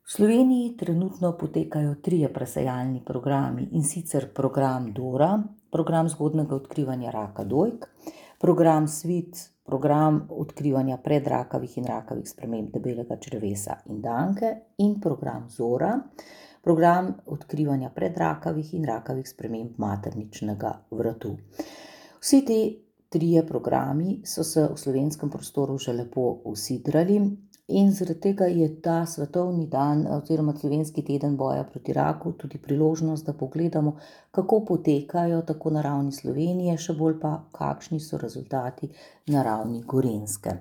V Sloveniji trenutno potekajo trije presejalni programi, in sicer program Dora, program zgodnjega odkrivanja raka dojk, program Svit, program odkrivanja predrakavih in rakavih sprememb debelega črevesa in danke, in program Zora, program odkrivanja predrakavih in rakavih sprememb materničnega vratu. Vsi ti trije programi so se v slovenskem prostoru že lepo usidrali in zaradi tega je ta svetovni dan oziroma slovenski teden boja proti raku tudi priložnost, da pogledamo, kako potekajo tako na ravni Slovenije, še bolj pa, kakšni so rezultati na ravni Gorenjske.